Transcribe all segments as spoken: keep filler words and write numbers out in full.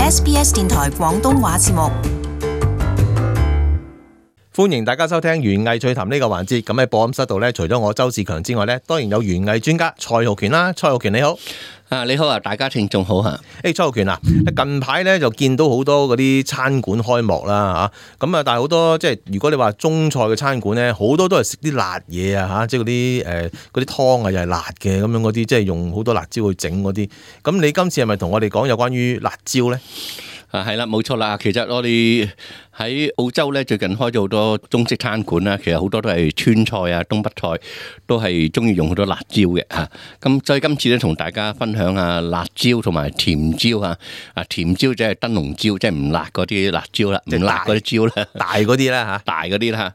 S B S 電台廣東話節目。歡迎大家收聽園藝趣談呢個環節。咁喺播音室度咧，除咗我周志強之外咧，當然有園藝專家蔡浩權啦。蔡浩權你好。啊，你好啊，大家聽眾好嚇。誒，蔡浩權啊，近排咧就見到好多嗰啲餐館開幕啦嚇，咁啊，但係好多即係如果你話中菜嘅餐館咧，好多都係食啲辣嘢啊嚇，即係嗰啲誒嗰啲湯啊又係辣嘅咁樣嗰啲，即係用好多辣椒去整嗰啲。咁你今次係咪同我哋講有關於辣椒咧？啊，係啦，冇錯啦。其實我哋喺澳洲咧，最近開咗好多中式餐館啦。其實好多都係川菜啊、東北菜，都係中意用好多辣椒嘅嚇。咁所以今次咧，同大家分享下辣椒同埋甜椒嚇。啊，甜椒即係燈籠椒，即係唔辣嗰啲辣椒啦，唔辣嗰啲椒啦，大嗰啲啦嚇，大嗰啲啦。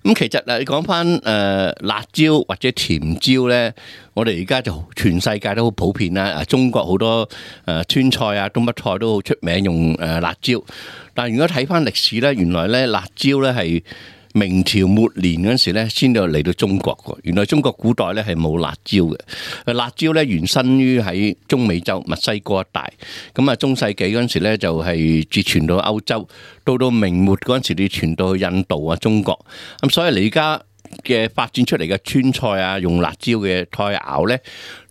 咁其實啊，你講翻誒辣椒或者甜椒咧，我哋而家就全世界都好普遍啦。啊，中國好多誒川菜啊、東北菜都好出名用誒辣椒。但係如果睇翻歷史咧，原來咧辣椒咧係明朝末年嗰陣時咧，先至嚟到中國嘅。原來中國古代咧係冇辣椒嘅。辣椒咧原生於喺中美洲墨西哥一帶。咁啊，中世紀嗰陣時咧就係至傳到歐洲，到到明末嗰陣時，你傳到去印度啊、中國。咁所以你而家嘅發展出嚟嘅川菜啊，用辣椒嘅菜肴咧，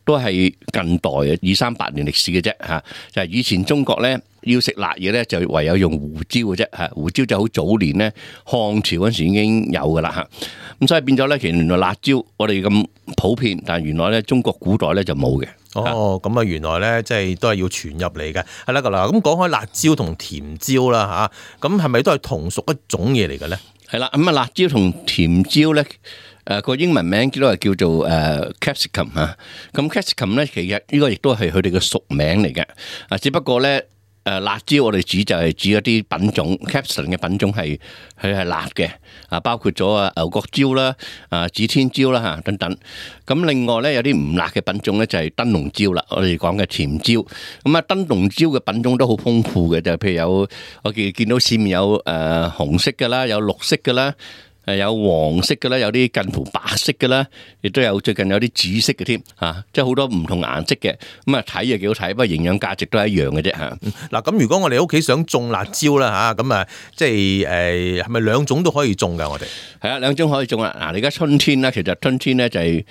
都係近代嘅二三百年歷史嘅啫嚇。就係以前中國咧，要食辣嘢咧，就唯有用胡椒嘅啫嚇。胡椒就好早年咧，漢朝嗰時已經有噶啦嚇。咁所以變咗咧，其實原來辣椒我哋咁普遍，但係原來咧中國古代咧就冇嘅。哦，咁啊原來咧即係都係要傳入嚟嘅。係啦，嗱咁講開辣椒同甜椒啦嚇，咁係咪都係同屬一種嘢嚟嘅咧？係啦，咁啊辣椒同甜椒咧，誒個英文名都係叫做誒 capsicum 嚇。咁 capsicum 咧，其實呢個亦都係佢哋嘅屬名嚟嘅。啊，只不過咧誒辣椒我哋指就係指一啲品種 capsicum 嘅品種係佢係辣嘅。啊，包括咗啊牛角椒啦、啊指天椒啦嚇等等。咁另外咧有啲唔辣嘅品種咧就係燈籠椒啦，我哋講嘅甜椒。咁啊燈籠椒嘅品種都好豐富嘅，就譬如有我見見到市面有誒紅色嘅啦，有綠色嘅啦。誒有黃色嘅啦，有啲近乎白色嘅啦，亦都有最近有啲紫色嘅添嚇，即係好多唔同顏色嘅。咁啊睇就幾好睇，不過營養價值都係一樣嘅啫嚇。嗱咁如果我哋屋企想種辣椒啦嚇，咁啊即係誒係咪兩種都可以種㗎？我哋係啊，兩種可以種啊。嗱，你而家春天啦，其實春天咧就係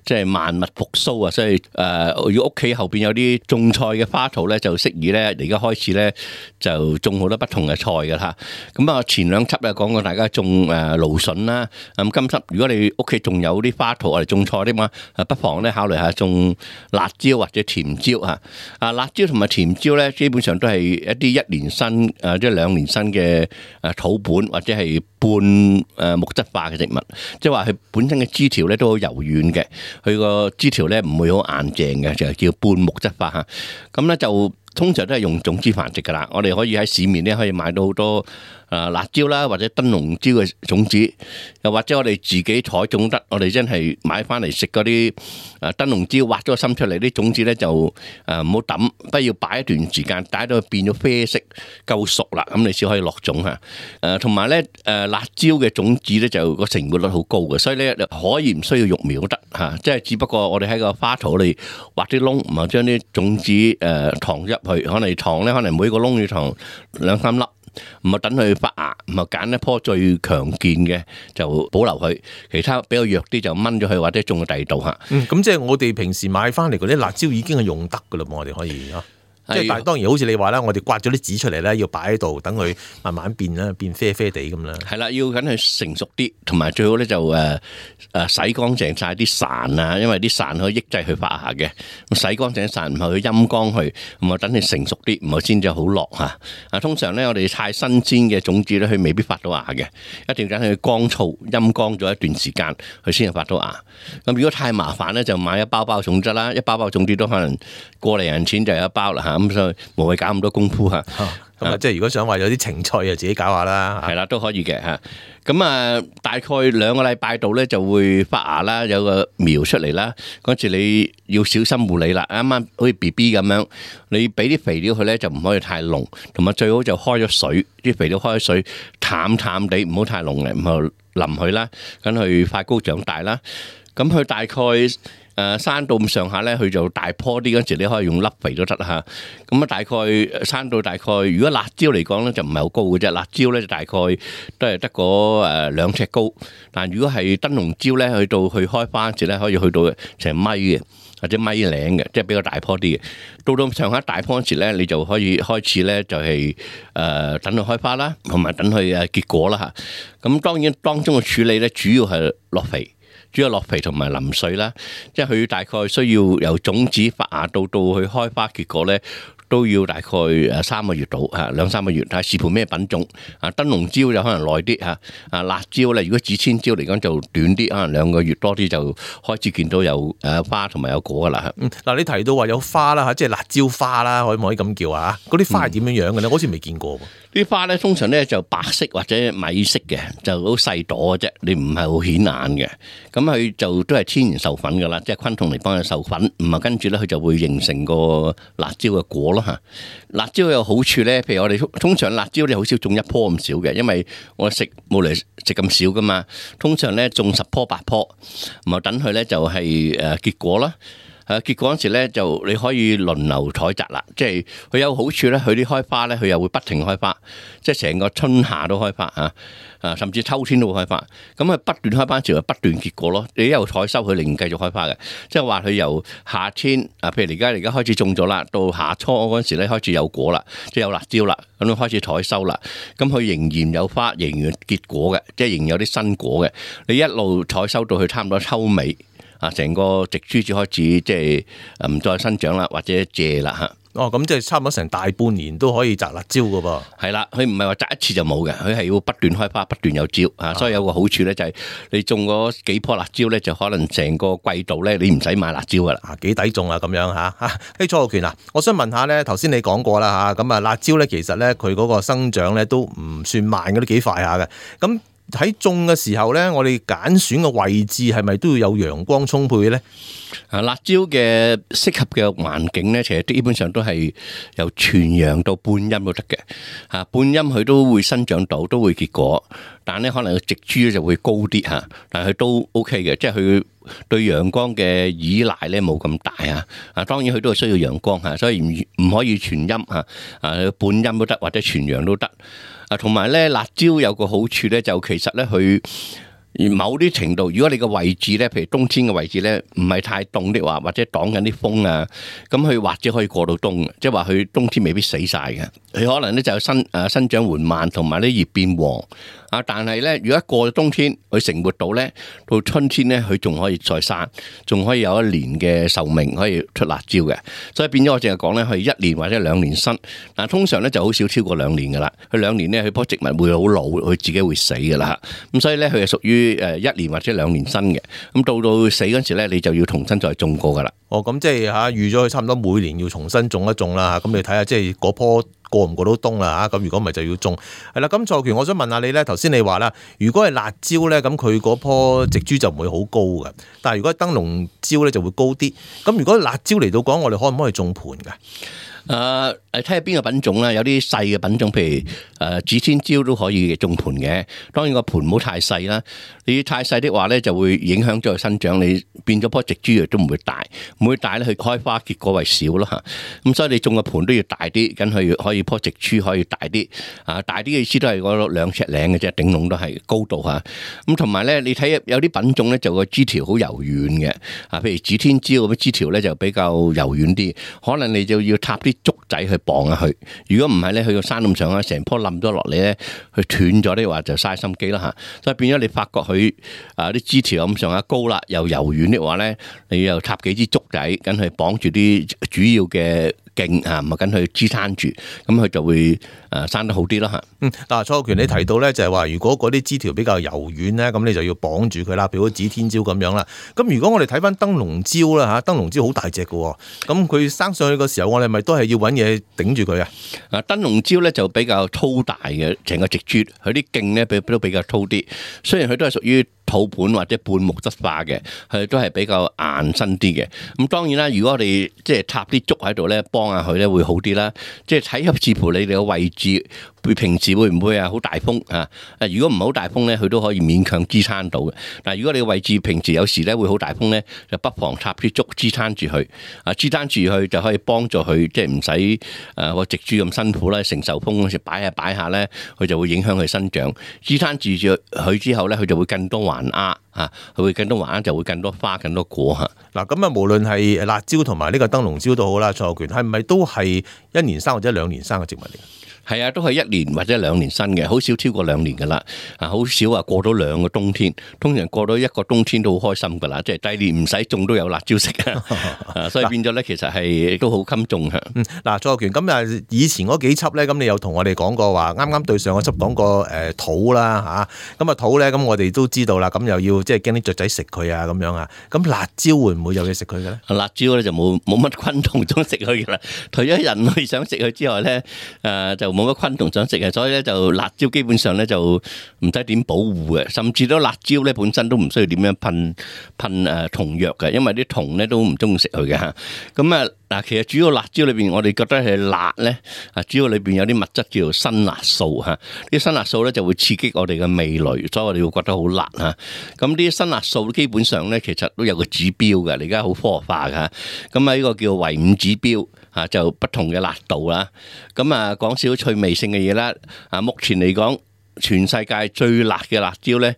即係萬物復甦啊，所以誒如果屋企後邊有啲種菜嘅花槽咧，就適宜咧而家開始咧就種好多不同嘅菜㗎嚇。咁啊前兩輯咧講過大家種誒蘆筍啦，咁今輯如果你屋企仲有啲花槽嚟種菜啲嘛，不妨咧考慮下種辣椒或者甜椒嚇。啊，辣椒同埋甜椒咧，基本上都係一啲一年生誒即係兩年生嘅誒土本或者係半誒木質化嘅植物，即係話佢本身嘅枝條咧都好柔軟嘅，佢個枝條咧唔會好硬淨嘅，就係叫半木質化嚇。咁咧就通常都係用種子繁殖噶啦，我哋可以喺市面咧可以買到好多誒辣椒啦，或者燈籠椒嘅種子，又或者我哋自己採種得，我哋真係買翻嚟食嗰啲誒燈籠椒，挖咗個心出嚟，啲種子咧就誒唔好抌，不要擺一段時間，擺到變咗啡色，夠熟啦，咁你先可以落種嚇。誒同埋咧誒辣椒嘅種子咧就個成活率好高嘅，所以咧可以唔需要育苗都得嚇，即係只不過我哋喺個花槽裏挖啲窿，然後將啲種子誒藏入去，可能藏咧可能每個窿要藏兩三粒。唔係等佢發芽，唔係揀一棵最強健嘅就保留佢，其他比較弱啲就掹咗佢或者種喺第二度嚇。嗯，咁即係我哋平時買翻嚟嗰啲辣椒已經係用得噶啦，我哋可以嚇。即係但係當然好似你話啦，我哋刮咗啲籽出嚟咧，要擺喺度等佢慢慢變啦，變啡啡地咁啦。係啦，要等佢成熟啲，同埋最好咧就誒誒洗乾淨晒啲潺啊，因為啲潺可以抑制佢發芽嘅。咁洗乾淨啲潺，然後去陰乾佢，咁啊等佢成熟啲，唔係先至好落嚇。啊，通常咧我哋太新鮮嘅種子咧，佢未必發到芽嘅，一定要等佢乾燥陰乾咗一段時間，佢先至發到芽。咁如果太麻煩咧，就買一包包種子啦，一包包種子都可能過嚟人錢就有一包啦嚇。咁所以無謂搞咁多功夫嚇，咁啊即係如果想話有啲情趣啊，自己搞下啦，係啦都可以嘅嚇。咁啊大概兩個禮拜度咧就會發芽啦，有個苗出嚟啦。嗰時你要小心護理啦，啱啱好似 B B 咁樣，你俾啲肥料佢咧就唔可以太濃，同埋最好就開咗水，啲肥料開咗水淡淡地，唔好太濃嘅，唔好淋佢啦，等佢快高長大啦。咁佢大概誒生到咁上下咧，佢就大棵啲嗰陣時，你可以用粒肥都得嚇。咁啊，大概生到大概，如果辣椒嚟講咧，就唔係好高嘅啫。辣椒咧就大概都係得個誒兩尺高。但如果係燈籠椒咧，去到去開花嗰時咧，可以去到成米嘅，或者米零嘅，即係比較大棵啲嘅。到到上下大棵嗰時咧，你就可以開始咧就係誒等佢開花啦，同埋等佢誒結果啦嚇。咁當然當中嘅處理咧，主要係落肥。主要落肥同埋淋水啦，即係佢大概需要由種子發芽到到去開花結果咧，都要大概誒三個月到嚇，兩三個月，睇視乎咩品種。啊，燈籠椒就可能耐啲嚇，啊辣椒咧，如果指千椒嚟講就短啲，可能兩個月多啲就開始見到有誒花同埋有果噶啦。嗯，嗱你提到話有花啦嚇，即係辣椒花啦，可唔可以咁叫啊？嗰啲花係點樣樣嘅咧？我好似未見過喎。啲花咧通常咧就白色或者米色嘅，就好細朵嘅啫，你唔係好顯眼嘅。咁佢就都係天然授粉噶啦，即係昆蟲嚟幫佢授粉，唔係跟住咧佢就會形成個辣椒嘅果咯嚇。辣椒有好處咧，譬如我哋通常辣椒你好少種一棵咁少嘅，因為我食冇嚟食咁少噶嘛。通常咧種十棵八棵，咁啊等佢咧就係誒結果啦。誒結果嗰時咧就你可以輪流採摘啦，即係佢有好處咧，佢啲開花咧佢又會不停開花，即係成個春夏都開花嚇，啊甚至秋天都會開花，咁啊不斷開花時就不斷結果咯。你一路採收佢，仍然繼續開花嘅，即係話佢由夏天啊，譬如而家而家開始種咗啦，到夏初嗰陣時咧開始有果啦，即係有辣椒啦，咁樣開始採收啦，咁佢仍然有花，仍然結果嘅，即係仍然有啲新果嘅。你一路採收到佢差唔多秋尾。啊！成個植株就開始即係唔再生長啦，或者謝啦嚇。哦，咁即係差唔多成大半年都可以摘辣椒噶噃。係啦，佢唔係話摘一次就冇嘅，佢係要不斷開花，不斷有椒啊。所以有個好處咧，就係你種嗰幾棵辣椒咧，就可能成個季度咧，你唔使買辣椒噶啦。啊，幾抵種啊咁樣嚇嚇。誒，蔡浩權啊，我想問下咧，頭先你講過啦嚇，咁啊辣椒咧其實咧佢嗰個生長咧都唔算慢嘅，都幾快下嘅。咁喺種嘅時候咧，我哋揀選嘅位置係咪都要有陽光充沛咧？啊，辣椒嘅適合嘅環境咧，其實基本上都係由全陽到半陰都得嘅。嚇，半陰佢都會生長到，都會結果，但咧可能個植株咧就會高啲嚇，但係佢都 OK 嘅，即係佢對陽光嘅依賴咧冇咁大啊。啊，當然佢都係需要陽光嚇，所以唔唔可以全陰嚇，啊半陰都得，或者全陽都得。啊，同埋咧辣椒有個好處咧，就其實咧佢某啲程度，如果你個位置咧，譬如冬天嘅位置咧，唔係太凍的話，或者擋緊啲風啊，咁佢或者可以過到冬，即係話佢冬天未必死晒嘅。佢可能咧就生誒生長緩慢，同埋啲葉變黃。啊！但係咧，如果一過咗冬天，佢成活到咧，到春天咧，佢仲可以再生，仲可以有一年嘅壽命，可以出辣椒嘅。所以變咗我淨係講咧，佢一年或者兩年生。但係通常咧就好少超過兩年噶啦。佢兩年咧，佢棵植物會好老，佢自己會死噶啦。咁所以咧，佢係屬於誒一年或者兩年生嘅。咁到到死嗰時咧，你就要重新再種過噶啦。哦，咁即係嚇預咗佢差唔多每年要重新種一種啦。咁你睇下，即係嗰棵過唔過到冬啦嚇？咁如果唔係就要種係啦。咁蔡浩權，我想問下你咧，頭先你話啦，如果係辣椒咧，咁佢嗰棵植株就唔會好高嘅，但係如果係燈籠椒咧就會高啲。咁如果辣椒嚟到講，我哋可唔可以種盤㗎？誒誒睇下邊個品種啦，有啲細嘅品種，譬如誒指天椒都可以種盤嘅。當然個盤唔好太細啦，你太細的話咧就會影響咗佢生長，你變咗棵植株都唔會大，唔會大咧佢開花結果為少咯嚇。咁所以你種個盤都要大啲，咁佢可以棵植株可以大啲。啊，大啲嘅意思都係嗰兩尺零嘅啫，頂籠都係高度嚇。咁同埋咧，你睇有啲品種咧就個枝條好柔軟嘅，啊，譬如指天椒咁枝條咧就比較柔軟啲，可能你就要插啲竹仔去綁下去，如果唔係咧，佢個山咁上下，成棵冧咗落嚟咧，佢斷咗的話就嘥心機啦嚇。所以變咗你發覺佢啊啲枝條咁上下高啦，又柔軟的話咧，你又插幾支竹仔，咁去綁住啲主要嘅勁啊，咪跟佢支撐住，咁佢就會誒生得好啲啦嚇。嗯，嗱，蔡浩權你提到咧就係話，如果嗰啲枝條比較柔軟咧，咁你就要綁住佢啦，譬如指天椒咁樣啦。咁如果我哋睇翻燈籠椒啦嚇，燈籠椒好大隻嘅，咁佢生上去嘅時候，我哋咪都係要揾嘢頂住佢啊？啊，燈籠椒咧就比較粗大嘅，成個植株，佢啲莖咧比都比較粗啲。雖然佢都係屬於土盤或者半木質化嘅，佢都係比較硬身啲嘅。咁當然啦，如果我哋即係插啲竹喺度咧，幫下佢咧會好啲啦。即係睇合視乎你哋嘅位置，平時會唔會啊好大風啊？如果唔係好大風咧，佢都可以勉強支撐到嘅。但如果你嘅位置平時有時咧會好大風咧，就不妨插啲竹支撐住佢，啊支撐住佢就可以幫助佢即係唔使誒個植株咁辛苦啦，承受風嗰時擺下擺下咧，佢就會影響佢生長。支撐住住佢之後咧，佢就會更多環壓啊，佢會更多環壓就會更多花、更多果嚇。嗱咁啊，無論係辣椒同埋呢個燈籠椒都好啦，蔡浩權係咪都係一年生或者兩年生嘅植物嚟？係啊，都係一年或者兩年生嘅，好少超過兩年噶啦。啊，好少啊過到兩個冬天，通常過到一個冬天都好開心噶啦。即係第二年唔使種都有辣椒食啊，所以變咗咧，其實係都好襟種嚇。嗯，嗱，蔡浩權咁啊，以前嗰幾輯咧，咁你有同我哋講過話，啱啱對上個輯講過誒土啦嚇，咁啊土咧，咁我哋都知道啦，咁又要即係驚啲雀仔食佢啊咁樣啊，咁辣椒會唔會有嘢食佢嘅咧？辣椒咧就冇冇乜昆蟲想食佢噶啦，除咗人類想食佢之外咧，誒就冇乜昆蟲想食嘅，所以咧就辣椒基本上咧就唔使點保護嘅，甚至都辣椒咧本身都唔需要點樣噴噴誒蟲藥嘅，因為啲蟲咧都唔中意食佢嘅嚇。咁啊嗱，其實主要辣椒裏邊我哋覺得係辣咧，啊主要裏邊有啲物質叫做辛辣素嚇，啲辛辣素咧就會刺激我哋嘅味蕾，所以我哋會覺得好辣嚇。咁啲辛辣素基本上咧其實都有個指標嘅，而家好科學化嘅嚇。咁啊呢個叫維五指標。啊，就不同嘅辣度啦。咁啊，講少少趣味性嘅嘢啦。啊，目前嚟講，全世界最辣嘅辣椒咧，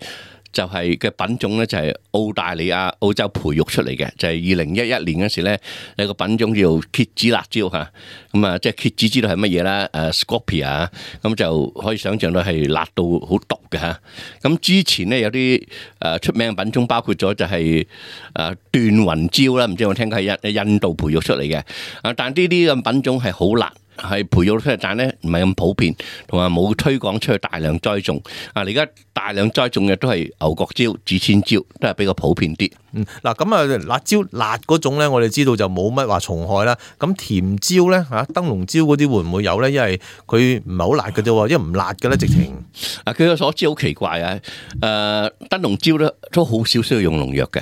就係嘅品種咧，就係澳大利亞、澳洲培育出嚟嘅，就係二零一一年嗰時咧，有個品種叫蠍子辣椒嚇。咁啊，即係蠍子知道係乜嘢啦？誒 Scorpia，咁就可以想象到係辣到好毒嘅嚇。咁之前咧有啲誒出名嘅品種，包括咗就係誒斷雲椒啦，唔知有冇聽過係印印度培育出嚟嘅。啊，但呢啲咁品種係好辣。係培育出嚟，但係咧唔係咁普遍，同埋冇推廣出去大量栽種。啊，而家大量栽種嘅都係牛角椒、指千椒，都係比較普遍啲。嗯，嗱咁啊，辣椒辣嗰種咧，我哋知道就冇乜話蟲害啦。咁甜椒咧嚇，燈籠椒嗰啲會唔會有咧？因為佢唔係好辣嘅啫，因為唔辣嘅咧，直情。啊，據我所知好奇怪啊！誒，燈籠椒咧都好少需要用農藥嘅，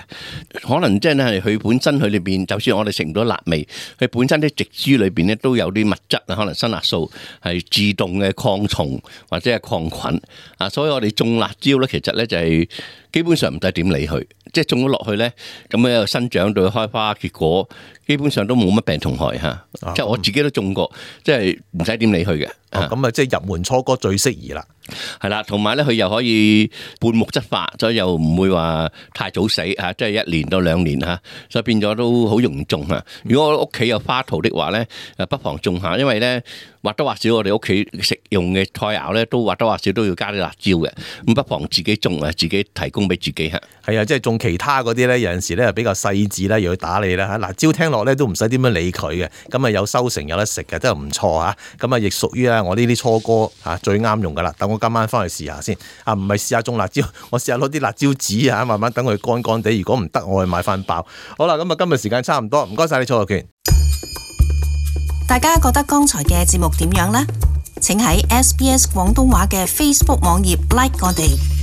可能即係佢本身佢裏邊，就算我哋食唔到辣味，佢本身啲植株裏邊咧都有啲物質。可能辛辣素係自動嘅抗蟲或者係抗菌啊，所以我哋種辣椒咧，其實咧就係基本上唔使點理佢，即係種咗落去咧，咁樣又生長到開花結果，基本上都冇乜病蟲害嚇。啊、即係我自己都種過，即係唔使點理佢嘅。咁啊，即係入門初哥最適宜啦。係啦，同埋咧佢又可以半木質化，所以又唔會話太早死嚇，即係一年到兩年嚇，所以變咗都好容易種嚇。如果我屋企有花槽的話咧，誒不妨種下，因為咧或多或少我哋屋企食用嘅菜肴咧都或多或少都要加啲辣椒嘅，咁不妨自己種啊，自己提供俾自己嚇。係啊，即係種其他嗰啲咧，有陣時咧比較細緻啦，又要打理啦嚇。辣椒聽落咧都唔使點樣理佢嘅，咁啊有收成有得食嘅，都係唔錯嚇。咁啊亦屬於啊我呢啲初哥嚇最啱用噶啦。等我今晚翻去試下先。啊，唔係試下種辣椒，我試下攞啲辣椒紙嚇，慢慢等佢乾乾地。如果唔得，我去買翻包。好啦，咁啊今日時間差唔多，唔該晒你蔡浩權。大家覺得剛才嘅節目點樣呢？請喺 S B S 廣東話嘅 Facebook 網頁 like 我哋。